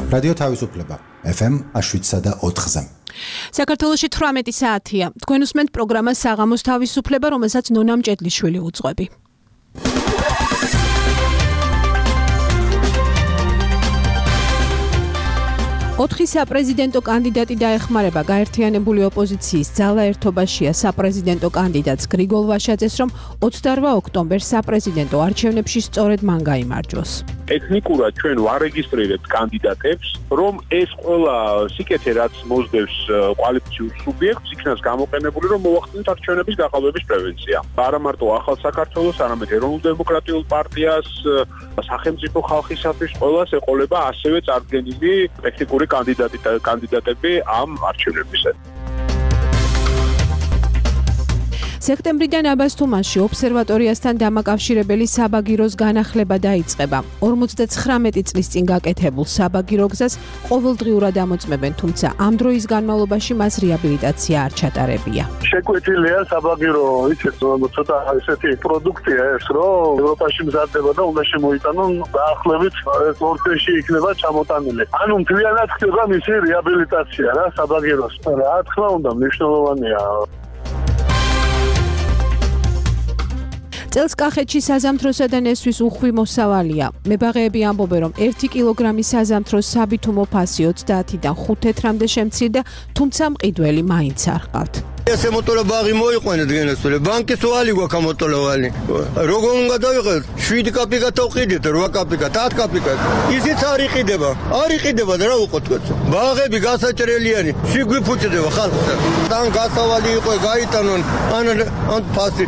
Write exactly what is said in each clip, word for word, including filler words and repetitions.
რადიო თავისუფლება ეფ ემ შვიდსა და ოთხზე. საქართველოში თვრამეტი საათია. თქვენ უსმენთ პროგრამას საღამოს თავისუფლება, რომელსაც ნონა მჭედლიშვილი უძღვები. ოთხი საპრეზიდენტო კანდიდატი დაეხმარება გაერთიანებული ოპოზიციის ძალა ერთობაშია საპრეზიდენტო კანდიდატს გრიგოლ ვაშაძეს, რომ ოცდაორ ოქტომბერს საპრეზიდენტო არჩევნებში სწორედ მან გაიმარჯვოს. ტექნიკურად ჩვენ ვარეგისტრირებთ კანდიდატებს, რომ ეს ყველა სიკეთე რაც მოსდევს კვალიფიციურ სუბიექტს იქნას გამოყენებული, რომ მოახდინოთ არჩევნების გაყალბების პრევენცია. არა მარტო ახალ საქართველოს, არამედ ეროვნულ დემოკრატიულ პარტიას, სახელმწიფო ხალხისათვის ყველას ეყოლება ასევე წარდგენილი ტექნიკური კანდიდატი კანდიდატები ამ არჩევნებისას. სექტემბრიდან აბასთუმანში ობსერვატორიასთან დამაკავშირებელი საბაგიროს განახლება დაიწყება. ორმოცდაცხრამეტი წლის წინ გაკეთებულ საბაგირო გზას ყოველდღიურად ამოწმებენ, თუმცა ამ დროის განმავლობაში მას რეაბილიტაცია არ ჩატარებია. შეკვეთილია საბაგირო, იცით, ცოტა ესეთი პროდუქტია ეს, რომ ევროპაში მზადდება და უნდა შემოიტანონ დაახლოებით ორ წელში იქნება ჩამოტანილი. ანუ მთლიანად ხდება მისი რეაბილიტაცია რა საბაგიროს. რა თქმა უნდა, მნიშვნელოვანია. წელს კახეთში საზამთროსა და ნესვის უხვი მოსავალია. მებაღეები ამბობენ, რომ ერთი კილოგრამი საზამთროს საბითუმო ფასი ოცდაათიდან ხუთ თეთრამდე შემცირდა, თუმცა მყიდველი მაინც არ ჰყავთ. ესე მოტოლა ბაღი მოიყვანეთ გენესწორე, ბანკის ვალი გვაქვს მოტოლავალი. როგორ უნდა დავიღოთ? შვიდი კაპიკა თავყიდეთ, რვა კაპიკა, ათ კაპიკა. ისიც არ იყიდება. არ იყიდება და რა უყოთ თქვენ. ბაღები გასაჭრელიანი, შეგვიფუჭდება ხალხს. თან გასავალი იყო, გაიტანონ ან ან ფასი.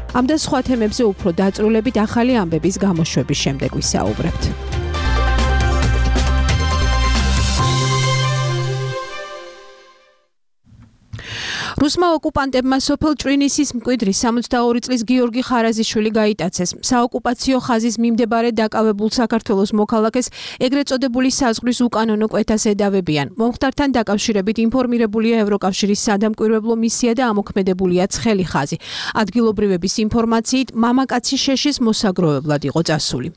ამ და სხვა თემებზე უფრო დაწვრილებით ახალი ამბების გამოშვების შემდეგ ვისაუბრებთ. რუსმა ოკუპანტებმა სოფელ ჭრინისის მკვიდრი სამოცდაორი წლის გიორგი ხარაზიშვილი გაიტაცეს. საოკუპაციო ხაზის მიმდებარე დაკავებულ საქართველოს მოქალაქეს ეგრეთ წოდებული საზღვრის უკანონო კვეთას ედავებიან. მომხდართან დაკავშირებით ინფორმირებულია ევროკავშირის სადამკვირვებლო მისია და ამოქმედებულია ცხელი ხაზი. ადგილობრივების ინფორმაციით, მამაკაცი შეშის მოსაგროვებლად იყო წასული.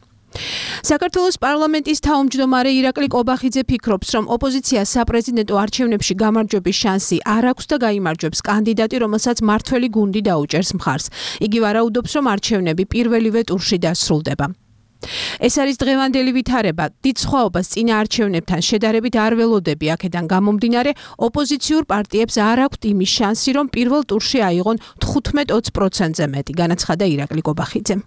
საქართველოს პარლამენტის თავმჯდომარე ირაკლი კობახიძე ფიქრობს, რომ ოპოზიციას საპრეზიდენტო არჩევნებში გამარჯვების შანსი არ აქვს და გაიმარჯვებს კანდიდატი, რომელსაც მართველი გუნდი დაუჭერს მხარს. იგი ვარაუდობს, რომ არჩევნები პირველივე ტურში დასრულდება. ეს არის დღევანდელი ვითარება. დიდ სხვაობას წინა არჩევნებთან შედარებით არ ველოდები, აქედან გამომდინარე, ოპოზიციურ პარტიებს არ აქვთ იმის შანსი, რომ პირველ ტურში აიღონ თხუთმეტ ოცი პროცენტზე მეტი, განაცხადა ირაკლი კობახიძემ.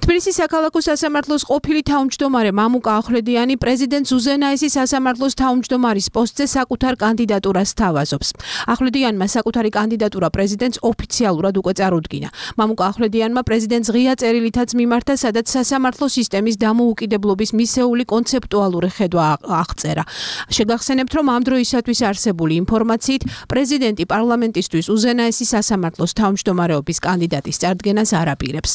თბილისის საქალაქო სასამართლოს ყოფილი თავმჯდომარე მამუკა ახვლედიანი პრეზიდენტ ზუზენაესის სასამართლოს თავმჯდომარის პოსტზე საკუთარ კანდიდატურას თავაზობს. ახვლედიანმა საკუთარი კანდიდატურა პრეზიდენტს ოფიციალურად უკვე წარუდგინა. მამუკა ახვლედიანმა პრეზიდენტს ღია წერილითაც მიმართა, სადაც სასამართლო სისტემის დამოუკიდებლობის მისეული კონცეპტუალური ხედვა აღწერა. შეგახსენებთ, რომ ამ დროისათვის არსებული ინფორმაციით, პრეზიდენტი პარლამენტისთვის უზენაესის სასამართლოს თავმჯდომარეობის კანდიდატის წარდგენას არ აპირებს.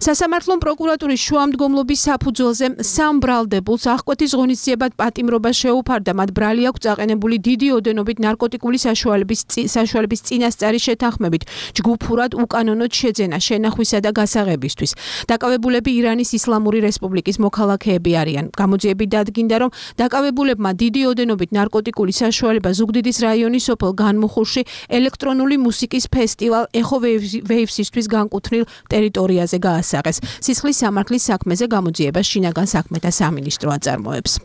სასამართლომ პროკურატურის შუამდგომლობის საფუძველზე სამ ბრალდებულს აღკვეთის ღონისძიებად პატიმრობა შეუფარდა. მათ ბრალი აქვს წაყენებული დიდი ოდენობით ნარკოტიკული საშუალების საშუალების წინასწარი შეთანხმებით ჯგუფურად უკანონოდ შეძენა, შენახვისა და გასაღებისთვის. დაკავებულები ირანის ისლამური რესპუბლიკის მოქალაქეები არიან. გამოძიებით დადგინდა, რომ დაკავებულებმა დიდი ოდენობით ნარკოტიკული საშუალება ზუგდიდის რაიონის სოფელ განმუხურში ელექტრონული მუსიკის ფესტივალ ეხო ვეივსისთვის განკუთვნილ ტერიტორიაზე გაასაღეს. სისხლის სამართლის საქმეზე გამოძიებას შინაგან საქმეთა სამინისტრო აწარმოებს.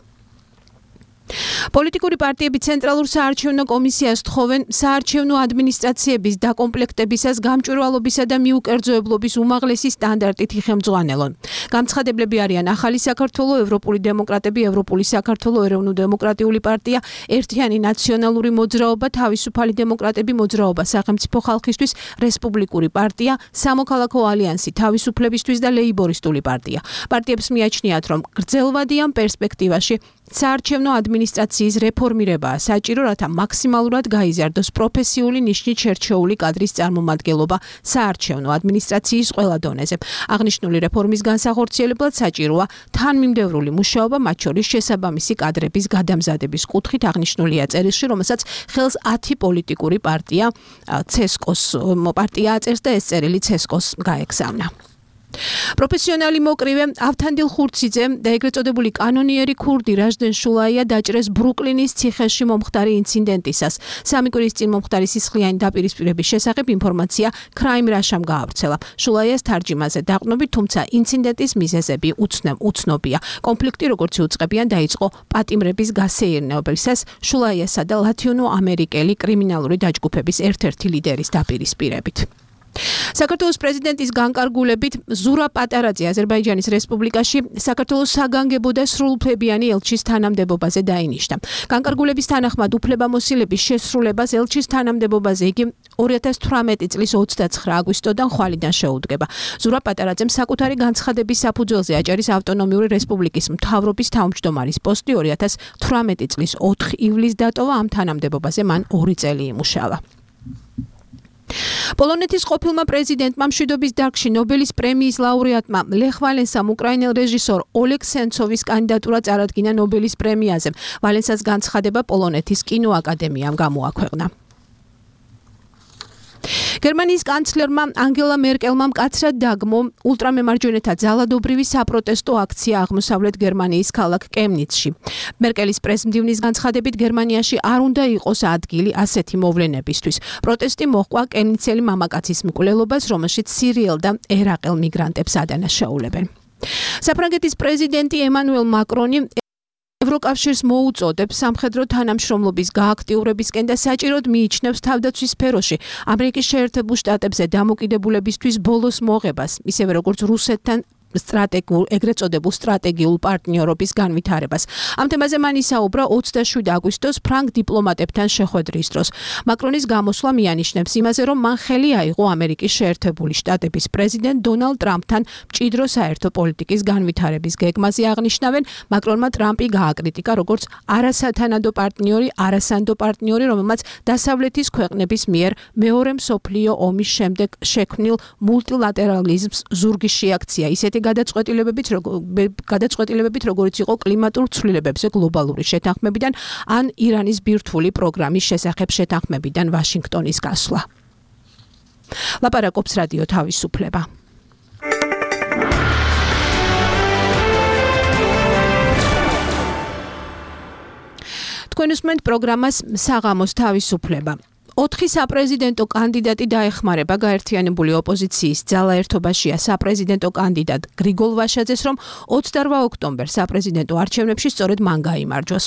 პოლიტიკური პარტიები ცენტრალურ საარჩევნო კომისიას თხოვენ საარჩევნო ადმინისტრაციების დაკომპლექტებისას გამჭვირვალობისა და მიუკერძოებლობის უმაღლესი სტანდარტით იხელმძღვანელონ. გამცხადებლები არიან ახალი საქართველო, ევროპული დემოკრატები, ევროპული საქართველო, ეროვნულ-დემოკრატიული პარტია, ერთიანი ნაციონალური მოძრაობა, თავისუფალი დემოკრატები, მოძრაობა სახელმწიფო ხალხისთვის, რესპუბლიკური პარტია, სამოქალაქო ალიანსი თავისუფლებისთვის და ლეიბორისტული პარტია. პარტიებს მიაჩნიათ, რომ გრძელვადიან პერსპექტივაში საარჩევნო ადმინისტრაციის რეფორმირებაა საჭირო, რათა მაქსიმალურად გაიზარდოს პროფესიული ნიშნით შერჩეული კადრის წარმომადგენლობა საარჩევნო ადმინისტრაციის ყველა დონეზე. აღნიშნული რეფორმის განსახორციელებლად საჭიროა თანმიმდევრული მუშაობა, მათ შორის შესაბამისი კადრების გადამზადების კუთხით აღნიშნულია წერილში, რომელსაც ხელს ათი პოლიტიკური პარტია ცესკოს პარტია აწერს და ეს წერილი ცესკოს გაეგზავნა. პროფესიონალი მოკრივე ავთანდილ ხურციძე და ეგრეთ წოდებული კანონიერი ქურდი რაჟდენ შულაია დაჭრეს ბრუკლინის ციხეში მომხდარი ინციდენტისას. სამი კვირის წინ მომხდარი სისხლიანი დაპირისპირების შესახებ ინფორმაცია Crime Russia-მ გაავრცელა. შულაიას თარჯიმაზე დაყრდნობით, თუმცა ინციდენტის მიზეზები უცნობია. კონფლიქტი როგორც იუწყებიან დაიწყო პატიმრების გასეირნეობისას შულაიასა და ლათინო-ამერიკელი კრიმინალური დაჯგუფების ერთ-ერთი ლიდერის დაპირისპირებით. საქართველოს პრეზიდენტის განკარგულებით ზურა პატარაძე აზერბაიჯანის რესპუბლიკაში საქართველოს საგანგებო და სრულუფლებიანი ელჩის თანამდებობაზე დაინიშნა. განკარგულების თანახმად უფლებამოსილების შესრულებას ელჩის თანამდებობაზე იგი ორი ათას თვრამეტი წლის ოცდაცხრა აგვისტოდან ხვალიდან შეუდგება. ზურა პატარაძემ საკუთარი განცხადების საფუძველზე აჭარის ავტონომიური რესპუბლიკის მთავრობის თავმჯდომარის პოსტი ორი ათას თვრამეტი წლის ოთხი ივლისს დატოვა. ამ თანამდებობაზე მან ორი წელი იმუშავა. პოლონეთის ყოფილმა პრეზიდენტმა მშვიდობის დარგში ნობელის პრემიის ლაურეატმა ლეხ ვალენსამ უკრაინელ რეჟისორ ოლეგ სენცოვის კანდიდატურა წარადგინა ნობელის პრემიაზე. ვალენსას განცხადება პოლონეთის კინოაკადემიამ გამოაქვეყნა. გერმანიის კანცლერმა ანგელა მერკელმა მკაცრად დაგმო ულტრამემარჯვენეთა ძალადობრივი საპროტესტო აქცია აღმოსავლეთ გერმანიის ქალაქ კემნიცში. მერკელის პრესმდივნის განცხადებით გერმანიაში არ უნდა იყოს ადგილი ასეთი მოვლენებისთვის. პროტესტი მოჰყვა კემნიცელი მამაკაცის მკვლელობას, რომელშიც სირიელ და ერაყელ მიგრანტებს ადანაშაულებენ. საფრანგეთის პრეზიდენტი ემანუელ მაკრონი ევროკავშირს მოუწოდებს სამხედრო თანამშრომლობის გააქტიურებისკენ და საჭიროდ მიიჩნევს თავდაცვის სფეროში ამერიკის შეერთებულ შტატებზე დამოკიდებულებისთვის ბოლოს მოღებას, ისევე როგორც რუსეთთან სტრატეგიულ ეგრეთ წოდებულ სტრატეგიულ პარტნიორობის განვითარებას. ამ თემაზე მან ისაუბრა ოცდაშვიდი აგვისტოს ფრანგ დიპლომატებთან შეხვედრის დროს. მაკრონის გამოსვლა მიანიშნებს იმაზე, რომ მან ხელი აიღო ამერიკის შეერთებული შტატების პრეზიდენტ დონალდ ტრამპთან მჭიდრო საერთო პოლიტიკის განვითარების გეგმაზე აღნიშნავენ. მაკრონმა ტრამპი გააკრიტიკა როგორც არასათანადო პარტნიორი, არასანდო პარტნიორი, რომელმაც დასავლეთის ქვეყნების მიერ მეორე მსოფლიო ომის შემდეგ შექმნილ მულტილატერალიზმს ზურგი შეაქცია. ისეთი გადაწყვეტილებებით, გადაწყვეტილებებით, როგორც იყო კლიმატურ ცვლილებებზე გლობალური შეთანხმებიდან ან ირანის ბირთვული პროგრამის შესახებ შეთანხმებიდან ვაშინგტონის გასვლა. ლაპარაკობს რადიო თავისუფლება. თქვენ უსმენთ პროგრამას საღამოს თავისუფლება. ოთხი საპრეზიდენტო კანდიდატი დაეხმარება გაერთიანებული ოპოზიციის ძალაერთობაშია საპრეზიდენტო კანდიდატ გრიგოლ ვაშაძეს, რომ ოცდაორ ოქტომბერს საპრეზიდენტო არჩევნებში სწორედ მან გაიმარჯვოს.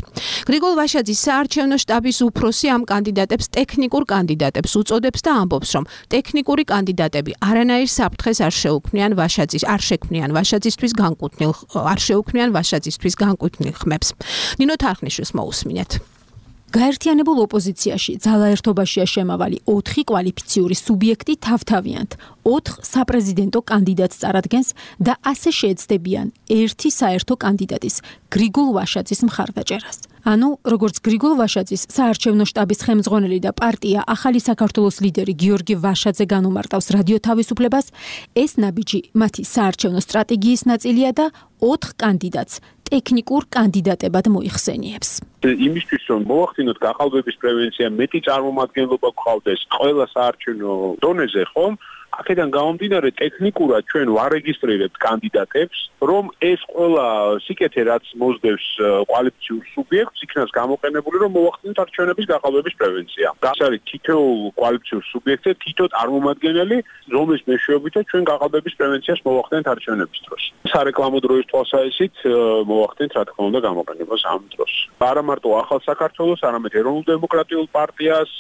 გრიგოლ ვაშაძის საარჩევნო შტაბის უფროსი ამ კანდიდატებს ტექნიკურ კანდიდატებს უწოდებს და ამბობს, რომ ტექნიკური კანდიდატები არანაირ საფრთხეს არ შეუქმნიან ვაშაძის, არ შექმნიან ვაშაძისთვის განკუთვნილ, არ შეუქმნიან ვაშაძისთვის განკუთვნილ ხმებს. ნინო თარხნიშვილს მოусმინეთ. გაერთიანებულ ოპოზიციაში ძალაერთობაშია შემავალი ოთხი კვალიფიციური სუბიექტი თავთავიანთ ოთხ საპრეზიდენტო კანდიდატს წარადგენს და ასე შეეცდებიან ერთი საერთო კანდიდატის გრიგოლ ვაშაძის მხარდაჭერას. ანუ როგორც გრიგოლ ვაშაძის საარჩევნო შტაბის ხელმძღვანელი და პარტია ახალი საქართველოს ლიდერი გიორგი ვაშაძე განუმარტავს რადიო თავისუფლებას, ეს ნაბიჯი მათი საარჩევნო სტრატეგიის ნაწილია და ოთხ კანდიდატს ტექნიკურ კანდიდატებად მოიხსენიებს. იმისთვის რომ მოახდინოთ გაყალბების პრევენცია, მეტი წარმომადგენლობა გყავდეს ყველა საარჩევნო დონეზე, ხომ? აქედან გამომდინარე ტექნიკურად ჩვენ ვარეგისტრირებთ კანდიდატებს, რომ ეს ყველა სიკეთე რაც მოსდევს კვალიფიციურ სუბიექტს, იქნას გამოყენებული, რომ მოახდინოთ არჩევნების გაყალბების პრევენცია. ეს არის თითოეულ კვალიფიციურ სუბიექტზე თითო წარმომადგენელი, რომლის მეშვეობითაც ჩვენ გაყალბების პრევენციას მოახდენთ არჩევნების დროს. სარეკლამო დროის თვალსაზრისით მოახდენთ რა თქმა უნდა გამოყენებას ამ დროს. არა მარტო ახალ საქართველოს, არამედ ეროვნულ დემოკრატიულ პარტიას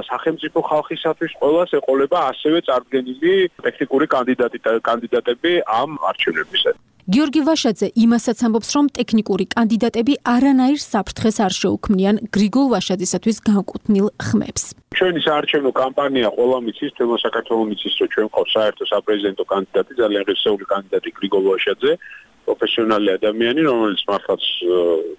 სახელმწიფო ხალხისათვის ყველას ეყოლება ასევე წარდგენილი ტექნიკური კანდიდატი კანდიდატები ამ არჩევნებისას. გიორგი ვაშაძე იმასაც ამბობს, რომ ტექნიკური კანდიდატები არანაირ საფრთხეს არ შეუქმნიან გრიგოლ ვაშაძისათვის განკუთვნილ ხმებს. ჩვენი საარჩევნო კამპანია ყველა მიცის, თემო საქართველოს მიცის, რომ ჩვენ ყავს საერთო საპრეზიდენტო კანდიდატი, ძალიან ღირსეული კანდიდატი გრიგოლ ვაშაძე. პროფესიონალი ადამიანი, რომელიც მართლაც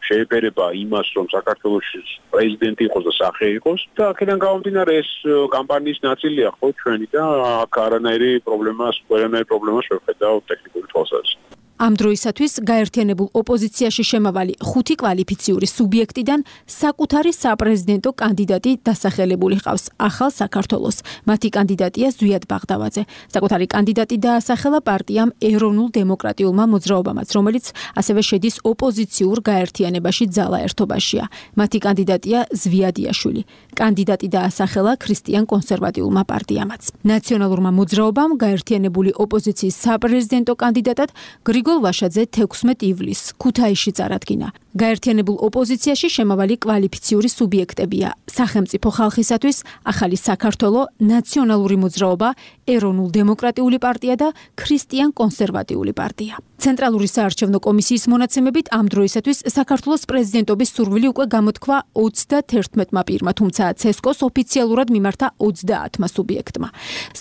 შეეფერება იმას, რომ საქართველოს პრეზიდენტი იყოს და სახე იყოს და აქედან გამომდინარე ეს კამპანიის ნაწილია ხო ჩვენი და აქ არანაირი პრობლემას, ყველანაირი პრობლემას ვერ ხედავ ტექნიკური თვალსაზრისით. ამ დროისათვის გაერთიანებულ ოპოზიციაში შემავალი ხუთი კვალიფიციური სუბიექტიდან საკუთარი საპრეზიდენტო კანდიდატი დასახელებული ჰყავს ახალ საქართველოს. მათი კანდიდატია ზვიად ბაღდავაძე. საკუთარი კანდიდატი დაასახელა პარტიამ ეროვნულ დემოკრატიულმა მოძრაობამაც, რომელიც ასევე შედის ოპოზიციურ გაერთიანებაში ძალა ერთობაშია. მათი კანდიდატია ზვიადიაშვილი. კანდიდატი დაასახელა ქრისტიან კონსერვატიულმა პარტიამაც. ნაციონალურმა მოძრაობამ გაერთიანებული ოპოზიციის საპრეზიდენტო კანდიდატად გრიგოლ ვაშაძე თექვსმეტ ივლისს ქუთაისში წარადგინა. გაერთიანებულ ოპოზიციაში შემავალი კვალიფიციური სუბიექტებია: სახელმწიფო ხალხისათვის, ახალი საქართველო, ნაციონალური მოძრაობა, ეროვნულ დემოკრატიული პარტია და ქრისტიან კონსერვატიული პარტია. ცენტრალური საარჩევნო კომისიის მონაცემებით ამ დროისათვის საქართველოს პრეზიდენტობის სურვილი უკვე გამოთქვა ოცდაათმა პირმა, თუმცა ცესკოს ოფიციალურად მიმართა ოცდაათმა სუბიექტმა.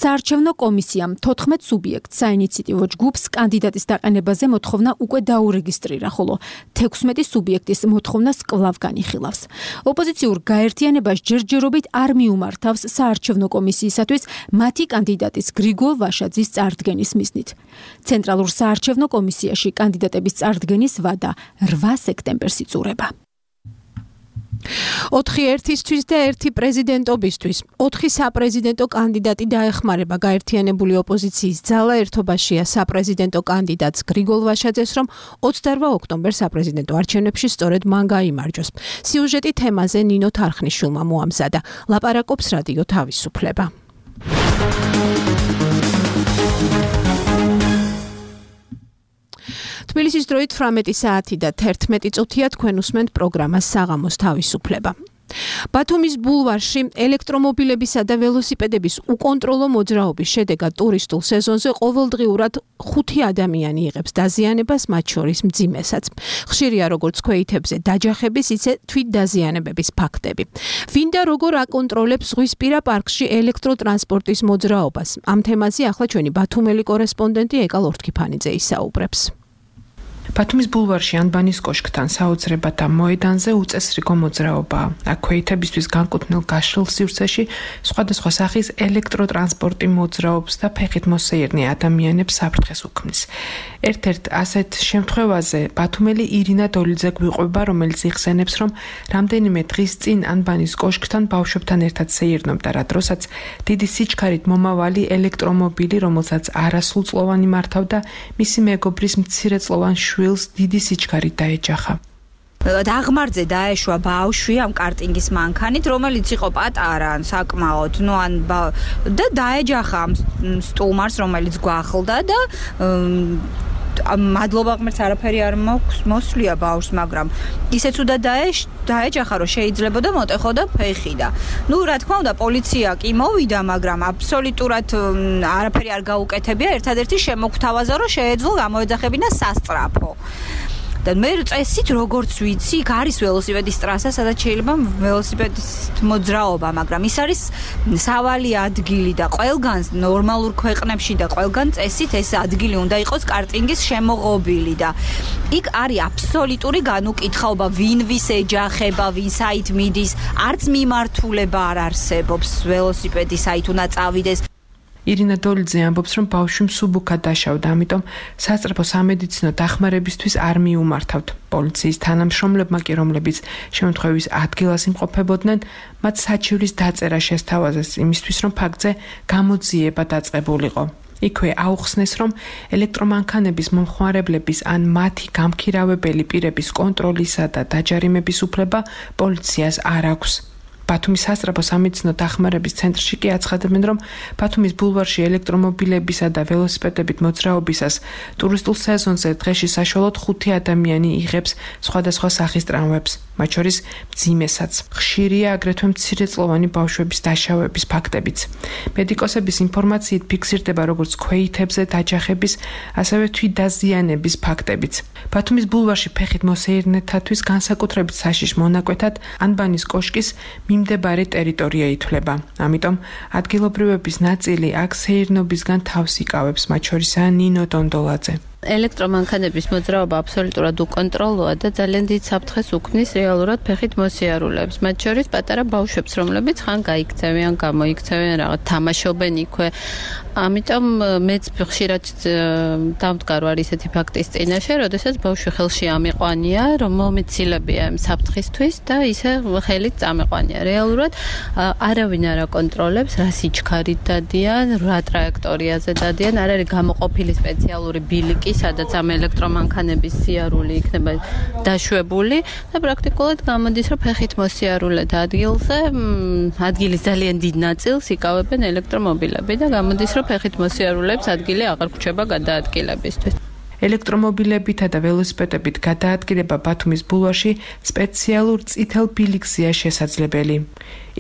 საარჩევნო კომისიამ თოთხმეტ სუბიექტს საინიციატივო ჯგუფს კანდიდატის დაყენებაზე მოთხოვნა უკვე დაურეგისტრირა, ხოლო თექვსმეტი სუბიექტის მოთხოვნას კვლავ განიხილავს. ოპოზიციურ გაერთიანებას ჯერჯერობით არ მიუმართავს საარჩევნო კომისიისათვის მათი კანდიდატის გრიგოლ ვაშაძის წარდგენის მიზნით. ცენტრალურ საარჩევნო კომისიაში კანდიდატების წარდგენის ვადა რვა სექტემბერს იწურება. ოთხი ერთისთვის და ერთი პრეზიდენტობისთვის. ოთხი საპრეზიდენტო კანდიდატი დაეხმარება გაერთიანებული ოპოზიციის ძალა ერთობაშია საპრეზიდენტო კანდიდატს გრიგოლ ვაშაძეს, რომ ოცდარვა ოქტომბერს საპრეზიდენტო არჩევნებში სწორედ მან გაიმარჯვოს. სიუჟეტი თემაზე ნინო თარხნიშვილმა მოამზადა. ლაპარაკობს რადიო თავისუფლება. თბილისის დროით თვრამეტი საათი და თერთმეტი წუთია, თქვენ უსმენთ პროგრამას საღამოს თავისუფლება. ბათუმის ბულვარში ელექტრომობილებისა და ველოსიპედების უკონტროლო მოძრაობის შედეგად ტურისტულ სეზონზე ყოველდღიურად ხუთი ადამიანი იღებს დაზიანებას, მათ შორის მძიმესაც. ხშირია როგორც ქვეითებზე დაჯახების, ისე თვითდაზიანებების ფაქტები. ვინ და როგორ აკონტროლებს ზღვისპირა პარკში ელექტროტრანსპორტის მოძრაობას? ამ თემაზე ახლა ჩვენი ბათუმელი კორესპონდენტი ეკა ლორთქიფანიძე ისაუბრებს. ბათუმის ბულვარში ანბანის კოშკთან საოცრებათა მოედანზე უწესრიგო მოძრაობაა. აქ ქვეითებისთვის განკუთვნილ გაშლილ სივრცეში სხვადასხვა სახის ელექტროტრანსპორტი მოძრაობს და ფეხით მოსეირნე ადამიანებს საფრთხეს უქმნის. ერთ-ერთ ასეთ შემთხვევაზე ბათუმელი ირინა დოლიძე გვიყვება, რომელიც იხსენებს, რომ რამდენიმე დღის წინ ანბანის კოშკთან ბავშვებთან ერთად სეირნობდა, რა დროსაც დიდი სიჩქარით მომავალი ელექტრომობილი, რომელსაც არასრულწლოვანი მართავდა, მისი მეგობრის მცირეწლოვან შვილს დიდი სიჩქარით დაეჯახა. დაღმართზე დაეშვა ბავშვი ამ კარტინგის მანქანით, რომელიც იყო პატარა, საკმაოდ, ну ან და დაეჯახა ამ სტუმარს, რომელიც გვახლდა და მადლობა ღმერთს არაფერი არ მოსვლია ბავშვს, მაგრამ ისეც უდა დაეჯახა, რომ შეიძლებოდა მოტეხოდა ფეხი და ну რა თქმა უნდა პოლიცია კი მოვიდა, მაგრამ აბსოლუტურად არაფერი არ გაუკეთებია, ერთადერთი შემოგთავაზა, რომ შეეძლო გამოეძახებინა სასწრაფო. და მე წესით როგორც ვიცი, იქ არის ველოსიპედის ტრასა, სადაც შეიძლება ველოსიპედის მოძრაობა, მაგრამ ის არის სავალი ადგილი და ყველგან ნორმალურ ქვეყნებში და ყველგან წესით ეს ადგილი უნდა იყოს კარტინგის შემოღობილი და იქ არის აბსოლუტური განუკითხაობა, ვინ ვის ეჯახება, ვინ საით მიდის, არც მიმართულება არ არსებობს ველოსიპედის საით უნდა წავიდეს. ირინა დოლიძე ამბობს, რომ ბავშვი მსუბუქად დაშავდა, ამიტომ სასწრაფო სამედიცინო დახმარებისთვის არ მიუმართავთ. პოლიციის თანამშრომლებმა კი, რომლებიც შემთხვევის ადგილას იმყოფებოდნენ, მათ საჩივრის დაწერა შესთავაზეს იმისთვის, რომ ფაქტზე გამოძიება დაწყებულიყო. იქვე აუხსნეს, რომ ელექტრომანქანების მომხმარებლების ან მათი გამქირავებელი პირების კონტროლისა და დაჯარიმების უფლება პოლიციას არ აქვს. ბათუმის სასწრაფო სამედიცინო დახმარების ცენტრში კი აცხადებენ, რომ ბათუმის ბულვარში ელექტრომობილებისა და ველოსიპედებით მოძრაობისას ტურისტულ სეზონზე დღეში საშუალოდ ხუთი ადამიანი იღებს სხვადასხვა სახის ტრამვებს, მათ შორის მძიმესაც. ხშირია აგრეთვე მცირეწლოვანი ბავშვების დაშავების ფაქტებიც. მედიკოსების ინფორმაციით ფიქსირდება როგორც ქვეითებზე დაჯახების, ასევე თვითდაზიანების ფაქტებიც. ბათუმის ბულვარში ფეხით მოსეირნეთათვის განსაკუთრებით საშიშ მონაკვეთად ანბანის კოშკის მიმდებარე ტერიტორია ითვლება. ამიტომ ადგილობრივების ნაწილი აქ სეირნობისგან თავს იკავებს, მათ შორისაა ნინო დონდოლაძე. ელექტრომანქანების მოძრაობა აბსოლუტურად უკონტროლოა და ძალიან დიდ საფრთხეს უქმნის რეალურად ფეხით მოსიარულეებს. მათ შორის პატარა ბავშვებს, რომლებიც ხან გაიქცევიან, გამოიქცევიან, რაღაც თამაშობენ იქვე. ამიტომ მეც ხშირად დამდგარ ვარ ისეთი ფაქტის წინაშე, როდესაც ბავშვი ხელში ამიყვანია, რომ მომეცილებია ამ საფრთხისთვის და ისე ხელით წამეყვანია. რეალურად არავინ არ აკონტროლებს, რა სიჩქარით დადიან, რა ტრაექტორიაზე დადიან, არ არის გამოყოფილი სპეციალური ბილიკი, სადაც ამ ელექტრომანქანების სიარული იქნება დაშვებული და პრაქტიკულად გამოდის, რომ ფეხით მოსიარულეთ ადგილზე, ადგილის ძალიან დიდ ნაწილს იკავებენ ელექტრომობილები და გამოდის, რომ ფეხით მოსიარულეებს ადგილი აღარ გვჩება გადაადგილებისთვის. ელექტრომობილებითა და ველოსიპედებით გადაადგილება ბათუმის ბულვარში სპეციალურ წითელ ბილიკზეა შესაძლებელი.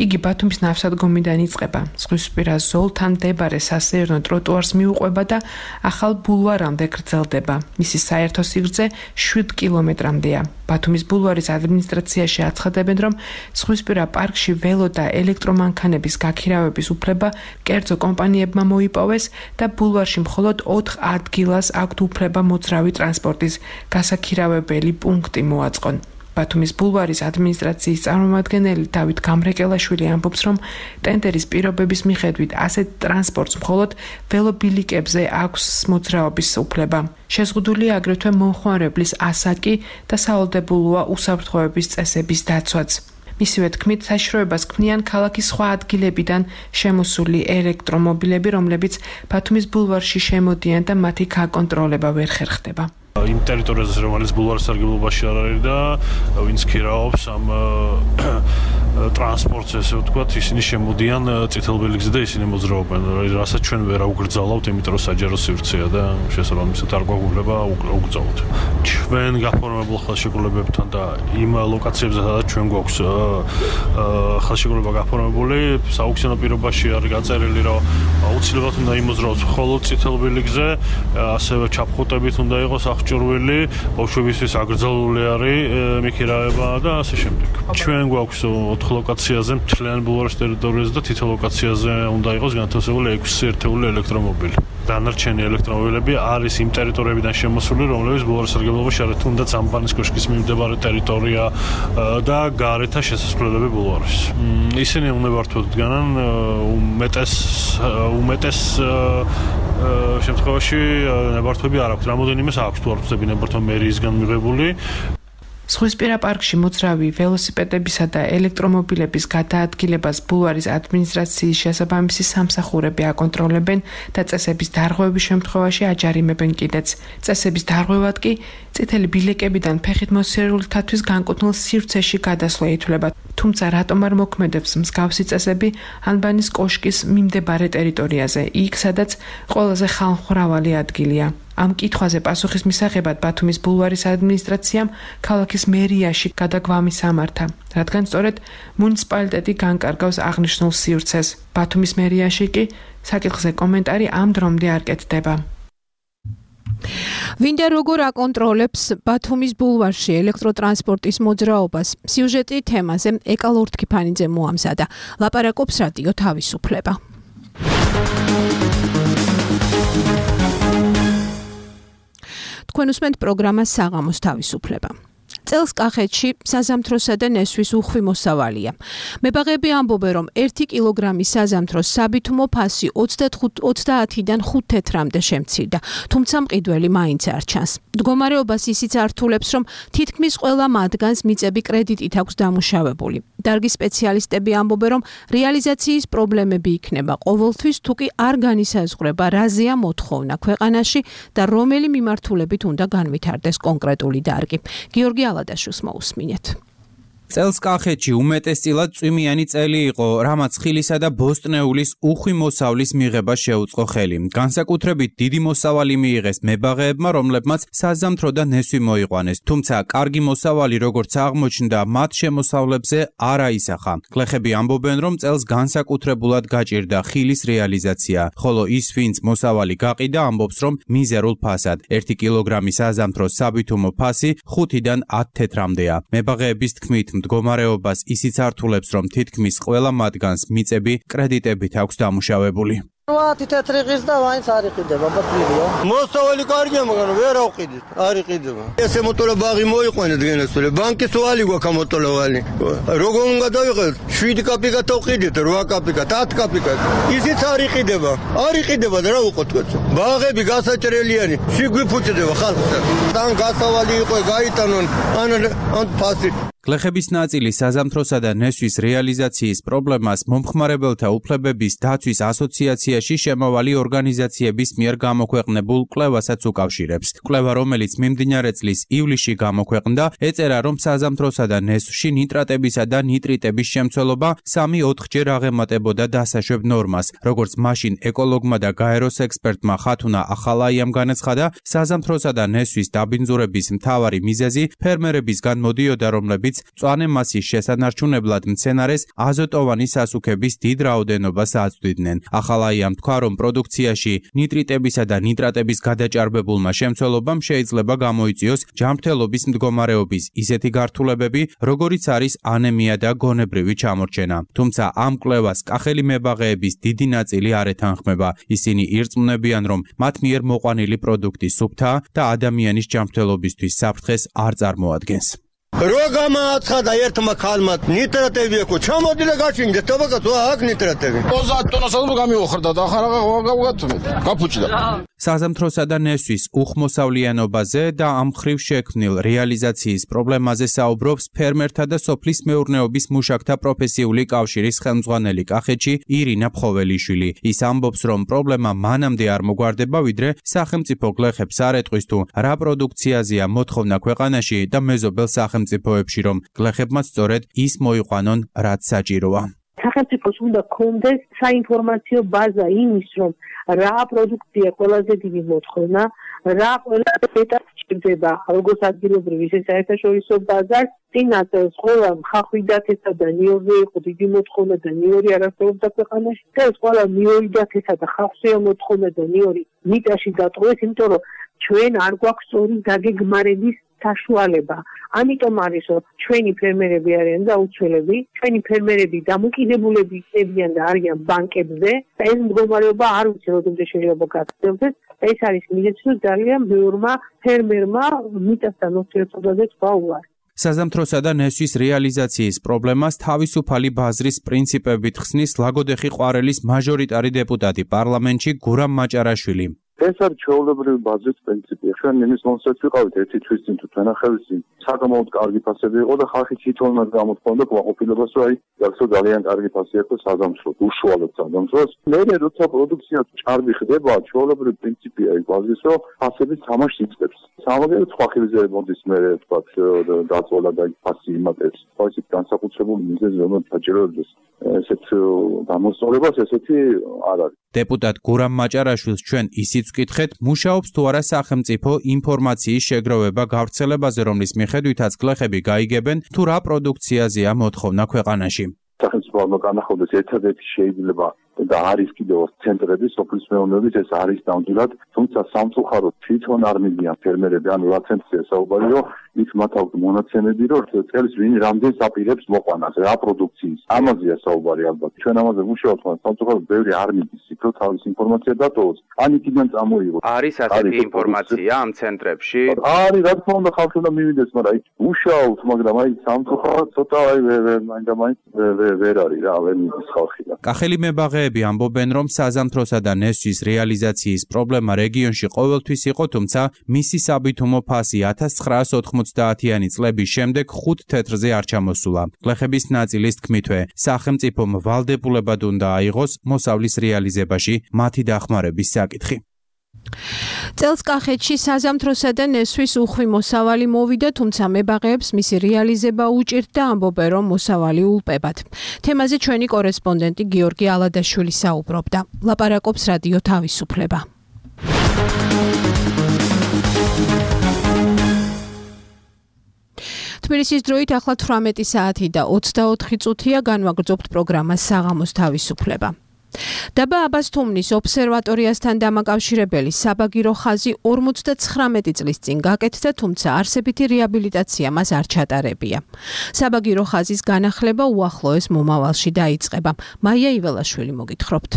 იგი ბათუმის ნავსადგომიდან იწყება, ზღვისპირა ზოლთან მდებარე სასეირნო ტროტუარს მიუყვება და ახალ ბულვარამდე გრძელდება. მისი საერთო სიგრძე შვიდ კილომეტრამდეა. ბათუმის ბულვარის ადმინისტრაციაში აცხადებენ, რომ ზღვისპირა პარკში ველო და ელექტრომანქანების გაქირავების უფლება კერძო კომპანიებმა მოიპოვეს და ბულვარში მხოლოდ ოთხ ადგილას აქვთ უფლება მოძრავი ტრანსპორტის გასაქირავებელი პუნქტი მოაწყონ. ბათუმის ბულვარის ადმინისტრაციის წარმომადგენელი დავით გამრეკელაშვილი ამბობს, რომ ტენდერის პირობების მიხედვით ასეთ ტრანსპორტს მხოლოდ ველობილიკებზე აქვს მოძრაობის უფლება. შეზღუდულია აგრეთვე მომხმარებლის ასაკი და სავალდებულოა უსაფრთხოების წესების დაცვაც. მისივე თქმით, საშიშროებას ქმნიან ქალაქის სხვა ადგილებიდან შემოსული ელექტრომობილები, რომლებიც ბათუმის ბულვარში შემოდიან და მათი გაკონტროლება ვერ ხერხდება. იმ ტერიტორიაზე, რომელიც ბულვარის სარგებლობაში არ არის და ვინც ქირაობს ამ ტრანსპორტს, ესე ვთქვათ, ისინი შემოდიან წითელ ბილიკზე და ისინი მოძრაობენ, რასაც ჩვენ ვერ აუგრძალავთ, იმიტომ რომ საჯარო სივრცეა და შესაბამისად არ გვაქვს უფლება აუგრძალოთ. ჩვენ გაფორმებულ ხელშეკრულებებთან და იმ ლოკაციებზე, სადაც ჩვენ გვაქვს ხელშეკრულება გაფორმებული, სააუქციონო პირობაში არის გაწერილი, რომ აუცილებლად უნდა იმოძრაოს მხოლოდ წითელ ბილიკზე, ასევე ჩაფხუტებით უნდა იყოს აღჭურვილი, ბავშვებისთვის აკრძალული არის მიქირავება და ასე შემდეგ. ჩვენ გვაქვს ოთხ ლოკაციაზე მთლიან ბულვარის ტერიტორიაზე და თითო ლოკაციაზე უნდა იყოს განთავსებული ექვსი ერთეული ელექტრომობილი. დანარჩენი ელექტრომობილები არის იმ ტერიტორიებიდან შემოსული, რომლებიც ბულვარის სარგებლობაში არის, თუნდაც ამბანის კოშკის მიმდებარე ტერიტორია და გარეთა შესასვლელები ბულვარის. ისინი უნებართვოდ დგანან უმეტეს უმეტეს შემთხვევაში ნებართვები არ აქვს. რამოდენიმეს აქვს თუ არ ვწდები ნებართვა მერიისგან მიღებული. ზღვისპირა პარკში მოძრავი ველოსიპედებისა და ელექტრომობილების გადაადგილებას ბულვარის ადმინისტრაციის შესაბამისი სამსახურები აკონტროლებენ და წესების დარღვევის შემთხვევაში აჯარიმებენ კიდეც. წესების დარღვევად კი წითელი ბილიკებიდან ფეხით მოსიარულეთათვის განკუთვნილ სივრცეში გადასვლა ითვლება. თუმცა რატომ არ მოქმედებს მსგავსი წესები ანბანის კოშკის მიმდებარე ტერიტორიაზე, იქ სადაც ყველაზე ხალხმრავალი ადგილია. ამ კითხვაზე პასუხის მისაღებად ბათუმის ბულვარის ადმინისტრაციამ ქალაქის მერიაში გადაგვამი სამართა, რადგან სწორედ მუნიციპალიტეტი განკარგავს აღნიშნულ სივრცეს. ბათუმის მერიაში კი საკითხზე კომენტარი ამ დრომდე არ კეთდება. ვინდა როგორ აკონტროლებს ბათუმის ბულვარში ელექტროტრანსპორტის მოძრაობას? სიუჟეტი თემაზე ეკა ლორთქიფანიძე მოამზადა. ლაპარაკობს რადიო თავისუფლება. თქვენ უსმენთ პროგრამას საღამოს თავისუფლება. წელს კახეთში საზამთროსა და ნესვის უხვი მოსავალია. მებაღები ამბობენ, რომ ერთი კილოგრამი საზამთროს საბითუმო ფასი ოცდაათიდან ხუთ თეთრამდე შემცირდა, თუმცა მყიდველი მაინც არ ჩანს. მდგომარეობას ისიც ართულებს, რომ თითქმის ყველა მათგანს მიწები კრედიტით აქვს დამუშავებული. დარგის სპეციალისტები ამბობენ, რომ რეალიზაციის პრობლემები იქნება ყოველთვის, თუ კი არ განისაზღვრება, რაზეა მოთხოვნა ქვეყანაში და რომელი მიმართულებით უნდა განვითარდეს კონკრეტული დარგი. გიორგი ალადაშვილს მოусმინეთ. წელს კახეთში უმეტესწილად წვიმიანი წელი იყო, რამაც ხილისა და ბოსტნეულის უხვი მოსავლის მიღება შეუწყო ხელი. განსაკუთრებით დიდი მოსავალი მიიღეს მებაღეებმა, რომლებმაც საზამთრო და ნესვი მოიყვანეს. თუმცა კარგი მოსავალი, როგორც აღმოჩნდა, მათ შემოსავლებზე არ აისახა. გლეხები ამბობენ, რომ წელს განსაკუთრებულად გაჭირდა ხილის რეალიზაცია, ხოლო ის, ვინც მოსავალი გაყიდა, ამბობს, რომ მიზერულ ფასად. ერთი კილოგრამი საზამთროს საბითუმო ფასი ხუთიდან ათ თეთრამდეა. მებაღეების თქმით, მდგომარეობას ისიც ართულებს, რომ თითქმის ყველა მათგანს მიწები კრედიტებით აქვს დამუშავებული. ვათი თეთრი ღირს და ვაინც არ იყიდება, ბატონო. მოსავალი კარგია, მაგრამ ვერ ავყიდით, არ იყიდება. ესე მოტოლა ბაღი მოიყვანეთ გენესწორე. ბანკის ვალი გვაქვს მოტოლა ვალი. როგორ უნდა დავიღოთ? შვიდი კაპიკა თავყიდით, რვა კაპიკა, ათი კაპიკა. ისიც არ იყიდება. არ იყიდება და რა უყოთ კაცო. ბაღები გასაჭრელიანი, შეგვიფუჭდება ხალხს. თან გასავალი იყო, გაიტანონ, ან ან ფასი. გლეხების ნაწილი საზამთროსა და ნესვის რეალიზაციის პრობლემას მომხმარებელთა უფლებების დაცვის ასოციაციაში შემავალი ორგანიზაციების მიერ გამოქვეყნებულ კვლევასაც უკავშირებს. კვლევა, რომელიც მიმდინარე წლის ივლისში გამოქვეყნდა, ეწერა, რომ საზამთროსა და ნესვში ნიტრატებისა და ნიტრიტების შემცველობა სამი-ოთხჯერ აღემატებოდა დასაშვებ ნორმას. როგორც მაშინ ეკოლოგმა და გაეროს ექსპერტმა ხათუნა ახალაიამ განაცხადა, საზამთროსა და ნესვის დაბინძურების მთავარი მიზეზი ფერმერებისგან მოდიოდა, რომლებიც მწვანე მასის შესანარჩუნებლად მცენარეს აზოტოვანი სასუქების დიდ რაოდენობას აწვდიდნენ. ახალაიამ თქვა, რომ პროდუქციაში ნიტრიტებისა და ნიტრატების გადაჭარბებულმა შემცველობამ შეიძლება გამოიწვიოს ჯანმრთელობის მდგომარეობის ისეთი გართულებები, როგორიც არის ანემია და გონებრივი ჩამორჩენა. თუმცა ამ კვლევას კახელი მებაღეების დიდი ნაწილი არ ეთანხმება. ისინი ირწმუნებიან, რომ მათ მიერ მოყვანილი პროდუქტი სუფთა და ადამიანის ჯანმრთელობისთვის საფრთხეს არ წარმოადგენს. რო გამააცხადა ერთმა ქალმა ნიტრატები აქვს, ჩამოდილა გაჩინგეთ, თობაკაცო, აქ ნიტრატები. ოცდაათ ტონას ალბათ გამიოხრდა და ახლა რა გავგავგათმეთ. გაფუჭდა. საზამთროსა და ნესვის უხმოსავლიანობაზე და ამ მხრივ შექმნილ რეალიზაციის პრობლემაზე საუბრობს ფერმერთა და სოფლის მეურნეობის მუშაკთა პროფესიული კავშირის ხელმძღვანელი კახეთში ირინა ფხოველიშვილი. ის ამბობს, რომ პრობლემა მანამდე არ მოგვარდება, ვიდრე სახელმწიფო გლეხებს არ ეტყვის თუ რა პროდუქციაზეა მოთხოვნა ქვეყანაში და მეზობელ სახელმწიფოებში, რომ გლეხებმაც სწორედ ის მოიყვანონ, რაც საჭიროა. სახელმწიფოს უნდა გქონდეს საინფორმაციო ბაზა იმის, რომ რა პროდუქცია ყველაზე დიდი მოთხოვნა, რა ყველაზე მეტად სჭირდება, როგორც ადგილობრივ, ისე საერთაშორისო ბაზარს. წინასწარ ყველა ხახვიდათესა და ნიორზე იყო დიდი მოთხოვნა და ნიორი არ არსებობდა ქვეყანაში. და ეს ყველა ნიორიდათესა და ხავსია მოთხოვნა და ნიორი მიტაში დატოვეს, იმიტომ რომ ჩვენ არ გვაქვს სწორი დაგეგმარების საშუალება. ამიტომ არის, რომ ჩვენი ფერმერები არიან და აუცილებელი, ჩვენი ფერმერები დამოკიდებულები იქნებიან და არიან ბანკებზე და ეს მდგომარეობა არ ვიცი როდემდე შეიძლება გაგრძელდეს. ეს არის მიზეზი, რომ ძალიან ბევრმა ფერმერმა მიწასთან ურთიერთობაზე თქვა უარი. საზამთროსა და ნესვის რეალიზაციის პრობლემას თავისუფალი ბაზრის პრინციპებით ხსნის ლაგოდეხი ყვარელის მაჟორიტარი დეპუტატი პარლამენტში გურამ მაჭარაშვილი. ეს არის ჩვეულებრივი ბაზრის პრინციპი. ჩვენ იმის მომსწრეთ ვიყავით ერთი თვის წინ თუ თვენახევის წინ. საკმაოდ კარგი ფასები იყო და ხალხი თვითონაც გამოთქვამდა კმაყოფილებას, რომ აი, გახსოვ ძალიან კარგი ფასი აქვს საზამთროს, უშუალოდ საზამთროს. მერე როცა პროდუქცია ჭარბი ხდება, ჩვეულებრივი პრინციპია ის ბაზრის, რომ ფასები თამაშს იწყებს. სამაგერო სხვა ხილზე მოდის მერე თქვა დაწოლა და ფასი იმატებს. ხო ისეთ განსაკუთრებული მიზეზი, რომელიც საჭიროებს ესეთ გამოსწორებას, ესეთი არ არის. დეპუტატ გურამ მაჭარაშვილს ჩვენ ისიც ვკითხეთ, მუშაობს თუ არა სახელმწიფო ინფორმაციის შეგროვება გავრცელებაზე, რომლის მიხედვითაც გლეხები გაიგებენ თუ რა პროდუქციაზეა მოთხოვნა ქვეყანაში. სახელმწიფო განახორციელოს ერთადერთი შეიძლება და არის კიდევ ცენტრები სოფლის მეურნეობის, ეს არის ნამდვილად, თუმცა სამწუხაროდ თვითონ არ მიდიან ფერმერები, ანუ რა ცენტრია საუბარი, რომ იქ მათ აქვს მონაცემები, რომ წელს ვინ რამდენს აპირებს მოყვანას, რა პროდუქციის. ამაზეა საუბარი ალბათ. ჩვენ ამაზე ვუშაობთ, მაგრამ სამწუხაროდ ბევრი არ მიდის, იქ რომ თავის ინფორმაცია დატოვოს. ან იქიდან წამოიღო. არის ასეთი ინფორმაცია ამ ცენტრებში? არის, რა თქმა უნდა, ხალხი უნდა მივიდეს, მაგრამ აი ვუშაობთ, მაგრამ აი სამწუხაროდ ცოტა აი მაინდა მაინც ვერ არის რა, ვერ მიდის ხალხი და. კახელი მებაღეები ამბობენ, რომ საზამთროსა და ნესვის რეალიზაციის პრობლემა რეგიონში ყოველთვის იყო, თუმცა მისი საბითუმო ფასი ათას ცხრაას ოთხმოცდაათიანი წლების შემდეგ ხუთ თეთრზე არ ჩამოსულა. გლეხების ნაწილის თქმითვე, სახელმწიფომ ვალდებულებად უნდა აიღოს მოსავლის რეალიზებაში მათი დახმარების საკითხი. წელს კახეთში საზამთროსა და ნესვის უხვი მოსავალი მოვიდა, თუმცა მებაღეებს მისი რეალიზება უჭირდა, ამბობენ, რომ მოსავალი ულპებად. თემაზე ჩვენი კორესპონდენტი გიორგი ალადაშვილი საუბრობდა. ლაპარაკობს რადიო თავისუფლება. თბილისის დროით ახლა თვრამეტი საათი და ოცდაოთხი წუთია, განვაგრძობთ პროგრამას საღამოს თავისუფლება. დაბა აბასთუმნის ობსერვატორიასთან დამაკავშირებელი საბაგირო ხაზი ორმოცდაცხრამეტი წლის წინ გაკეთდა, თუმცა არსებითი რეაბილიტაცია მას არ ჩატარებია. საბაგირო ხაზის განახლება უახლოეს მომავალში დაიწყება. მაია იველაშვილი მოგითხრობთ.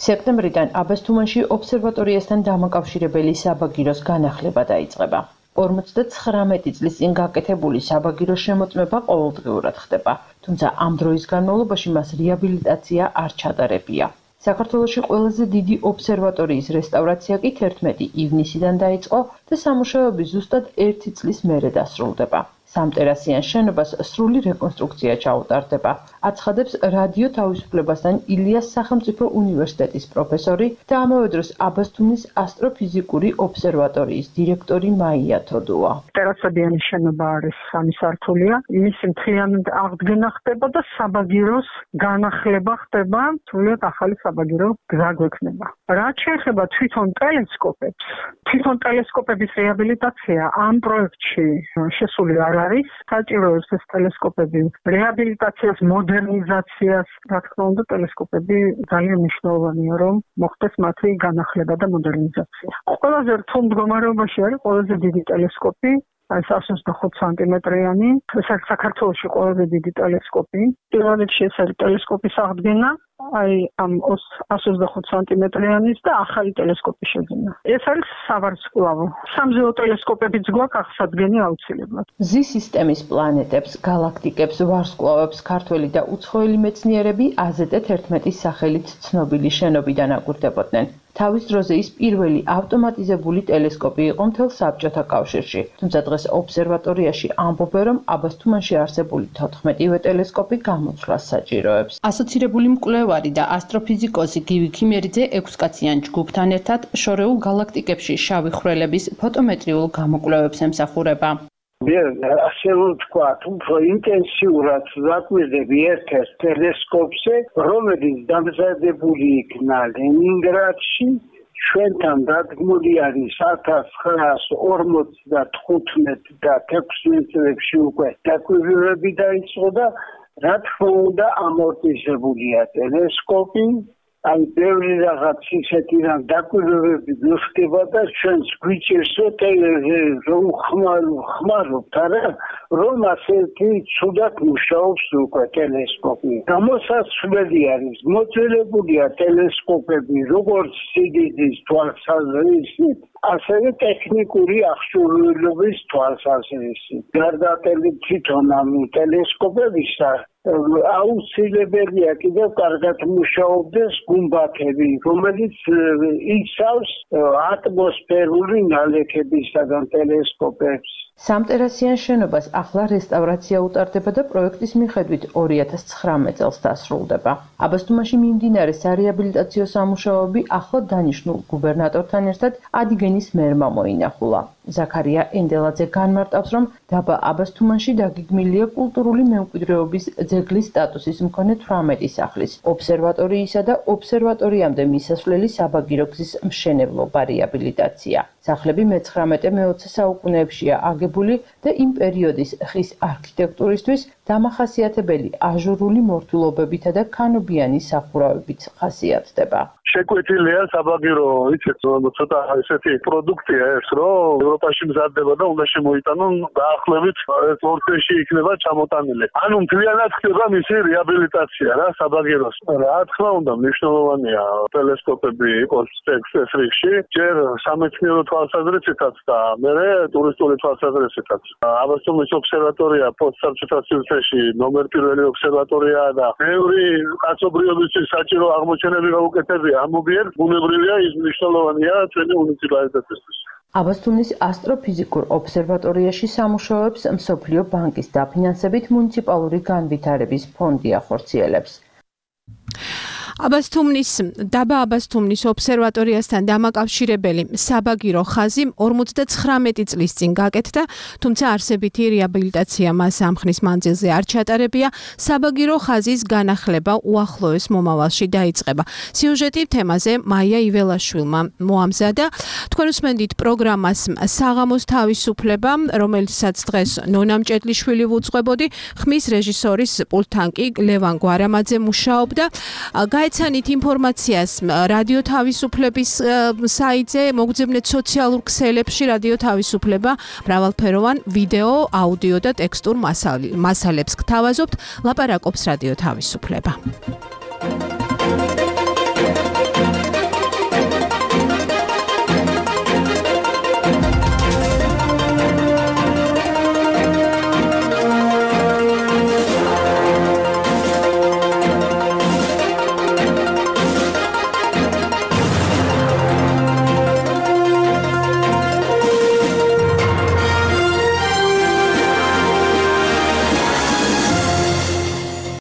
სექტემბრიდან აბასთუმანში ობსერვატორიასთან დამაკავშირებელი საბაგიროს განახლება დაიწყება. ორმოცდათხრამეტი წლის წინ გაკეთებული საბაგიროს შემოწმება ყოველდღიურად ხდება, თუმცა ამ დროის განმავლობაში მას რეაბილიტაცია არ ჩატარებია. საქართველოში ყველაზე დიდი ობსერვატორიის რესტავრაცია კი თერთმეტი ივნისიდან დაიწყო და სამუშაოები ზუსტად ერთი წლის მერე დასრულდება. სამტერასიან შენობას სრული რეკონსტრუქცია ჩაუტარდება. აცხადებს რადიო თავისუფლებასთან ილიას სახელმწიფო უნივერსიტეტის პროფესორი და ამავე დროს აბასთუმნის ასტროფიზიკური ობსერვატორიის დირექტორი მაია თოდუა. ტერასებიანი შენობა არის სამი სართულია. მისი მთლიანად აღდგენა ხდება და საბაგიროს განახლება ხდება, სრულიად ახალი საბაგირო გზა გვექნება. რაც შეეხება თვითონ ტელესკოპებს, თვითონ ტელესკოპების რეაბილიტაცია ამ პროექტში შესული არ არის. საჭიროებს ეს ტელესკოპები რეაბილიტაციას, მოდერნიზაციას. რა თქმა უნდა, ტელესკოპები ძალიან მნიშვნელოვანია, რომ მოხდეს მათი განახლება და მოდერნიზაცია. ყველაზე რთულ მდგომარეობაში არის ყველაზე დიდი ტელესკოპი, აი εκατს ოცდახუთ სანტიმეტრიანი, ეს არის საქართველოში ყველაზე დიდი ტელესკოპი. პირველ რიგში ეს არის ტელესკოპის აღდგენა, აი ამ εκατს ოცდახუთ სანტიმეტრიანის და ახალი ტელესკოპის შეძენა. ეს არის სავარსკვლავო. სამზეო ტელესკოპებიც გვაქვს აღსადგენი აუცილებლად. მზის სისტემის პლანეტებს, გალაქტიკებს, ვარსკვლავებს ქართველი და უცხოელი მეცნიერები აზეტ თერთმეტის სახელით ცნობილი შენობიდან აკვირდებოდნენ. თავის დროზე ის პირველი ავტომატიზებული ტელესკოპი იყო მთელ საბჭოთა კავშირში, თუმცა დღეს ობსერვატორიაში ამბობენ, რომ აბასთუმანში არსებული თოთხმეტივე ტელესკოპი გამოცვლას საჭიროებს. ასოცირებული მკვლევარი და ასტროფიზიკოსი გივი ქიმერიძე ექვსკაციან ჯგუფთან ერთად შორეულ გალაქტიკებში შავი ხვრელების ფოტომეტრიულ გამოკვლევებს ემსახურება. მე ასე ვთქვათ, უფრო ინტენსიურად ვაკვირდები ერთ-ერთ ტელესკოპზე, რომელიც დამზადებული იქნა ლენინგრადში, ჩვენთან დადგმული არის ათას ცხრაას ორმოცდათხუთმეტ და ექვსმეტ წლებში უკვე დაკვირვებები დაიწყო და რა თქმა უნდა ამორტიზებულია ტელესკოპი. აი ბევრი რაღაც ისეთი რამ დაკვირვებები გხდება და ჩვენს გვიჭირს რომ ხმარობთ არა რომ ასეთი ცუდად მუშაობს უკვე ტელესკოპი. გამოსაცვლელი არის მოძველებულია ტელესკოპები როგორც სიდიდის თვალსაზრისით, ასევე ტექნიკური აღჭურვილობის თვალსაზრისით. გარდა თვითონ ამ ტელესკოპებისა აუცილებელია კიდევ კარგად მუშაობდეს გუმბათები, რომელიც იცავს ატმოსფერული ნალექებისაგან ტელესკოპებს. სამტერასიან შენობას ახლა რესტავრაცია utardeba და პროექტის მიხედვით ორი ათას ცხრამეტ წელს დასრულდება. აბასთუმანში მიმდინარე სარეაბილიტაციო სამუშაოები ახლა დანიშნულ გუბერნატორთან ერთად ადიგენის მერმა მოინახულა. ზაქარია ენდელაძე განმარტავს, რომ დაბა აბასთუმანში დაგეგმილია კულტურული მემკვიდრეობის ძეგლის სტატუსის მქონე თვრამეტი სახლის, ობსერვატორიისა და ობსერვატორიამდე მისასვლელი საბაგირო გზის მშენებლობა რეაბილიტაცია. სახლები მეცხრამეტე-მეოცე საუკუნეებშია აგებული და იმ პერიოდის ხის არქიტექტურისთვის დამახასიათებელი აჟურული მორთულობებითა და ქანობიანი სახურავებით ხასიათდება. შეკვეთილია საბაგირო, იცით, ცოტა ესეთი პროდუქტია ეს, რომ ევროპაში მზადდება და უნდა შემოიტანონ დაახლოებით ორ წელში იქნება ჩამოტანილი. ანუ მთლიანად ხდება მისი რეაბილიტაცია რა საბაგიროს. რა თქმა უნდა, მნიშვნელოვანია ტელესკოპები იყოს ეს რიგში, ჯერ სამეცნიერო თვალსაზრისითაც და მერე ტურისტული თვალსაზრისითაც. აბასთუმნის ობსერვატორია პოსტსაბჭოთა სივრცეში ნომერ პირველი ობსერვატორია და ბევრი კაცობრიობისთვის საჭირო აღმოჩენები გაუკეთებია. ამობიერ ბუნებრივია ის მნიშვნელოვანია ჩვენი მუნიციპალიტეტისთვის. აბასთუმნის ასტროფიზიკურ ობსერვატორიაში სამუშაოებს მსოფლიო ბანკის დაფინანსებით მუნიციპალური განვითარების ფონდი ახორციელებს. აბასთუმნის დაბა აბასთუმნის ობსერვატორიასთან დამაკავშირებელი საბაგირო ხაზი ორმოცდაცხრამეტი წლის წინ გაკეთდა, თუმცა არსებითი რეაბილიტაცია მას ამ ხნის მანძილზე არ ჩატარებია. საბაგირო ხაზის განახლება უახლოეს მომავალში დაიწყება. სიუჟეტი თემაზე მაია იველაშვილმა მოამზადა. თქვენ უსმენთ პროგრამას საღამოს თავისუფლება, რომელსაც დღეს ნონა მჭედლიშვილი ვუძღვებოდი, ხმის რეჟისორის პულტთან კი ლევან გვარამაძე მუშაობდა. გაეცანით ინფორმაციას რადიო თავისუფლების საიტზე, მოგძებნეთ სოციალურ ქსელებში რადიო თავისუფლება, მრავალფეროვან ვიდეო, აუდიო და ტექსტურ მასალებს გთავაზობთ, ლაპარაკობს რადიო თავისუფლება.